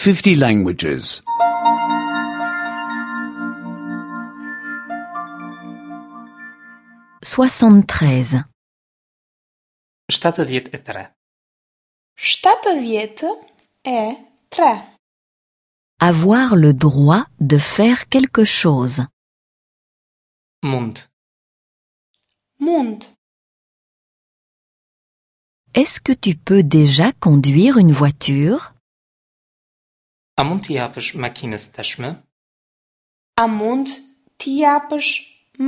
50 languages. 73. 73. 73. Avoir le droit de faire quelque chose. Mund. Mund. Est-ce que tu peux déjà conduire une voiture? A mund t'i japësh makinës tashmë? A mund t'i japësh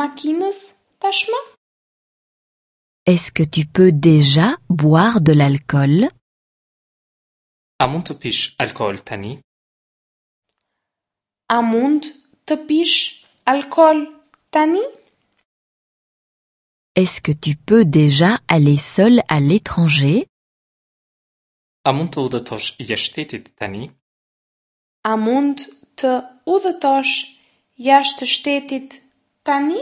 makinës tashmë? Est-ce que tu peux déjà boire de l'alcool? A mund të pish alkool tani? A mund të pish alkool tani? Est-ce que tu peux déjà aller seul à l'étranger? A mund të udhëtosh jashtë shtetit tani? A mund të udhëtosh jashtë shtetit tani?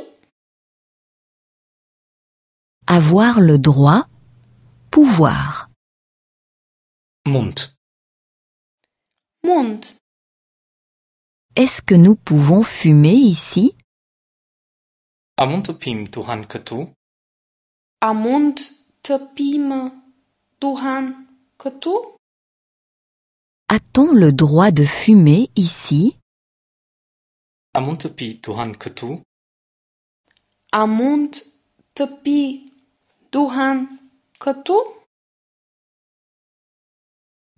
Avoir le droit, pouvoir. Mund. Mund. Est-ce que nous pouvons fumer ici? A mund të pimë duhan këtu? A mund të pimë duhan këtu? A-t-on le droit de fumer ici? A mund të pi duhan këtu? A mund të pi duhan këtu?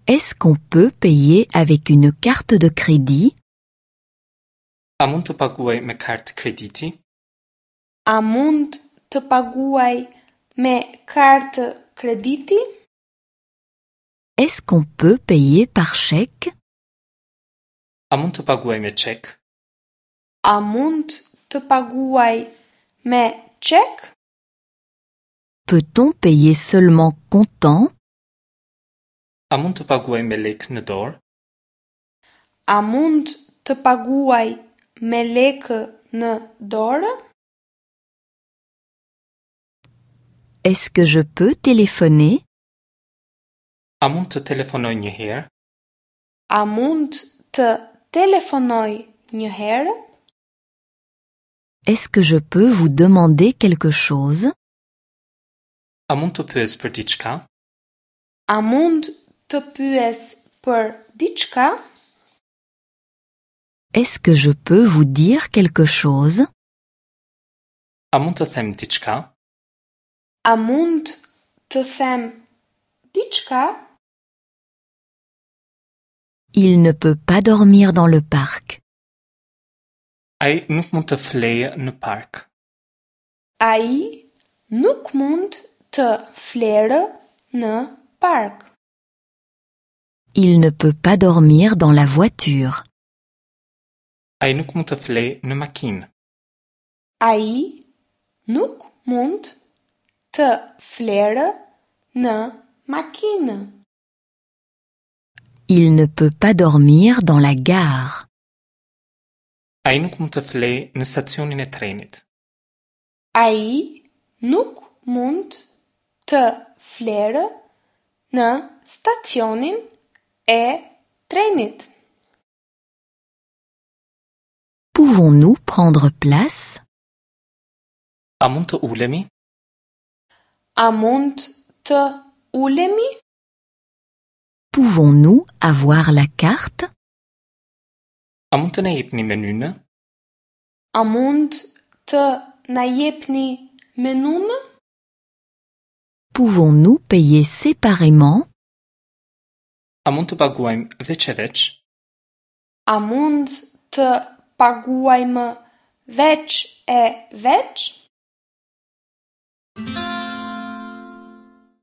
Est-ce qu'on peut payer avec une carte de crédit? A mund të paguaj me kartë krediti? A mund të paguaj me kartë krediti? Est-ce qu'on peut payer par chèque? A mund të paguaj me çek? A mund të paguaj me çek? Peut-on payer seulement comptant? A mund të paguaj me lekë në dorë? A mund të paguaj me lekë në dorë? Est-ce que je peux téléphoner? A mund të telefonoj një herë? A mund të telefonoj një herë? Est-ce que je peux vous demander quelque chose? A mund të pyes për diçka? A mund të pyes për diçka? Est-ce que je peux vous dire quelque chose? A mund të them diçka? A mund të them diçka? Il ne peut pas dormir dans le parc. Ai nuk mund të flejë në park. Ai nuk mund të flerë në park. Il ne peut pas dormir dans la voiture. Ai nuk mund të flejë në makinë. Ai nuk mund të flerë në makinë. Il ne peut pas dormir dans la gare. Ai nuk mund të flejë në stacionin e trenit. Ai nuk mund të flerë në stacionin e trenit. Pouvons-nous prendre place? A mund të ulemi? A mund të ulemi? Pouvons-nous avoir la carte? A mund të na jepni menynë? A mund të na jepni menunë? Pouvons-nous payer séparément? A mund të paguajmë veç e veç? A mund të paguajmë veç e veç?